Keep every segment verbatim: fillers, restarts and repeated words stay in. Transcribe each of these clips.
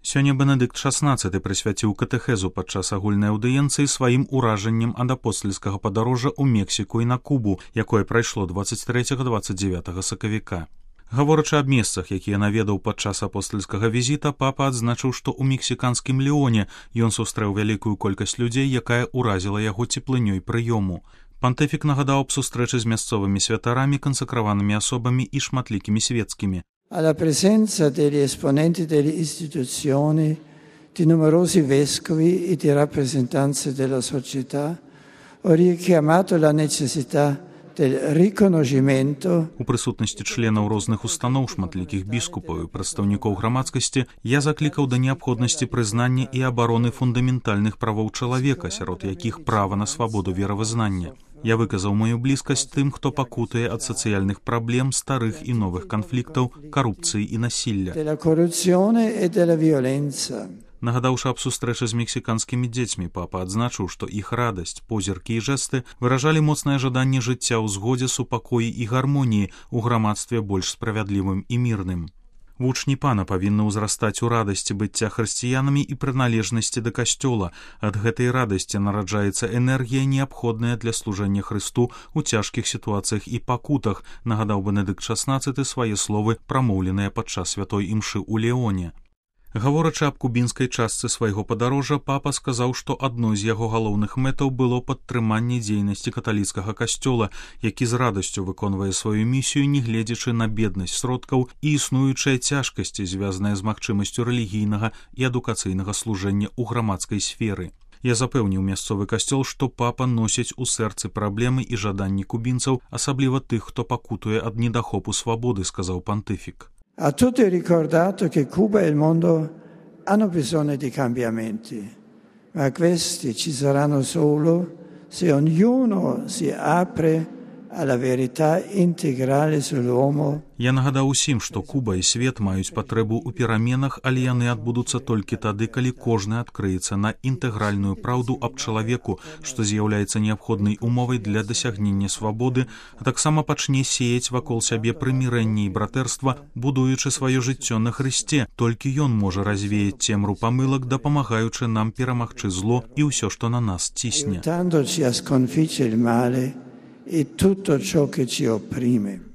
Сёння Бенедыкт шаснаццаты прысвяціў катэхезу падчас агульнай аўдыенцыі сваім уражаннем ад апостальскага падарожжа ў Мексіку і на Кубу, якое прайшло дваццаць трэцяга - дваццаць дзевятага сакавіка. Гаворачы аб месцах, якія наведаў падчас апостальскага візіта, папа адзначыў, што ў мексіканскім Леоне ён сустрэў вялікую колькасць людзей, якая ўразіла яго цеплынёй прыёму. Пантыфік нагадаў аб сустрэчы з мясцовымі святарамі, кансакраванымі асобамі і шматлікімі свецкімі. Alla presenza degli esponenti delle istituzioni, di numerosi vescovi e di rappresentanze della società, ho richiamato la necessità del riconoscimento. У прысутнасці членаў розных устаноў, шматлікіх біскупаў і прадстаўнікоў грамадскасці я заклікаў да неабходнасці прызнання і абароны фундаментальных правоў чалавека, сярод якіх права на свабоду веравызнання. Я выказаў маю блізкасць тым, хто пакутае ад сацыяльных праблем, старых і новых канфліктаў, карупцыі і насілля. Нагадаўшы аб сустрэчы з мексіканскімі дзецьмі, папа адзначыў, што іх радасць, позіркі і жэсты выражалі моцнае жаданне жыцця ў згодзе, супакоі і гармоніі ў грамадстве больш справядлівым і мірным. Вучні пана павінны ўзрастаць у радасці быцця хрысціянамі і прыналежнасці да касцёла. Ад гэтай радасці нараджаецца энергія, неабходная для служэння Хрысту ў цяжкіх сітуацыях і пакутах, нагадаў Бенедыкт шаснаццаты свае словы, прамоўленыя падчас святой імшы ў Леоне. Гаворачы аб кубінскай частцы свайго падарожжа, папа сказаў, што адной з яго галоўных мэтаў было падтрыманне дзейнасці каталіцкага касцёла, які з радасцю выконвае сваю місію, не гледзячы на беднасць сродкаў і існуючыя цяжкасці, звязаныя з магчымасцю рэлігійнага і адукацыйнага служэння ў грамадскай сферы. Я запэўніў мясцовы касцёл, што папа носіць у сэрцы праблемы і жаданні кубінцаў, асабліва тых, хто пакутуе ад недахопу свабоды, сказаў пантыфік. A tutti ho ricordato che Cuba e il mondo hanno bisogno di cambiamenti, ma questi ci saranno solo se ognuno si apre alla verità integrale sull'uomo. Я нагадаў усім, што Куба і свет маюць патрэбу ў пераменах, але яны адбудуцца толькі тады, калі кожны адкрыецца на інтэгральную праўду аб чалавеку, што з'яўляецца неабходнай умовай для дасягнення свабоды, а таксама пачне сеяць вакол сябе прымірэнне і братэрства, будуючы сваё жыццё на Хрысце. Толькі ён можа развеяць цемру памылак, дапамагаючы нам перамагчы зло і ўсё, што на нас цісне.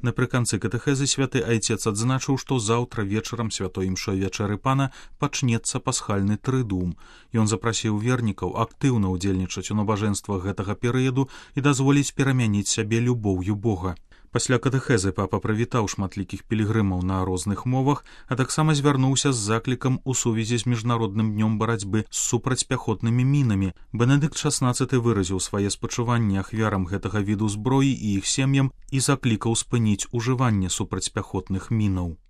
Напрыканцы катэхезы святы айцец адзначыў, што заўтра вечарам святой імшой вячэры пана пачнецца пасхальны трыдум. Ён запрасіў вернікаў актыўна ўдзельнічаць у набажэнствах гэтага перыяду і дазволіць перамяніць сябе любоўю Бога. Пасля катэхезы папа прывітаў шматлікіх пілігрымаў на розных мовах, а таксама звярнуўся з заклікам у сувязі з міжнародным днём барацьбы з супрацьпяхотнымі мінамі. Бенедыкт шаснаццаты выразіў свае спачуванні ахвярам гэтага віду зброі і іх сем'ям і заклікаў спыніць ужыванне супрацьпяхотных мінаў.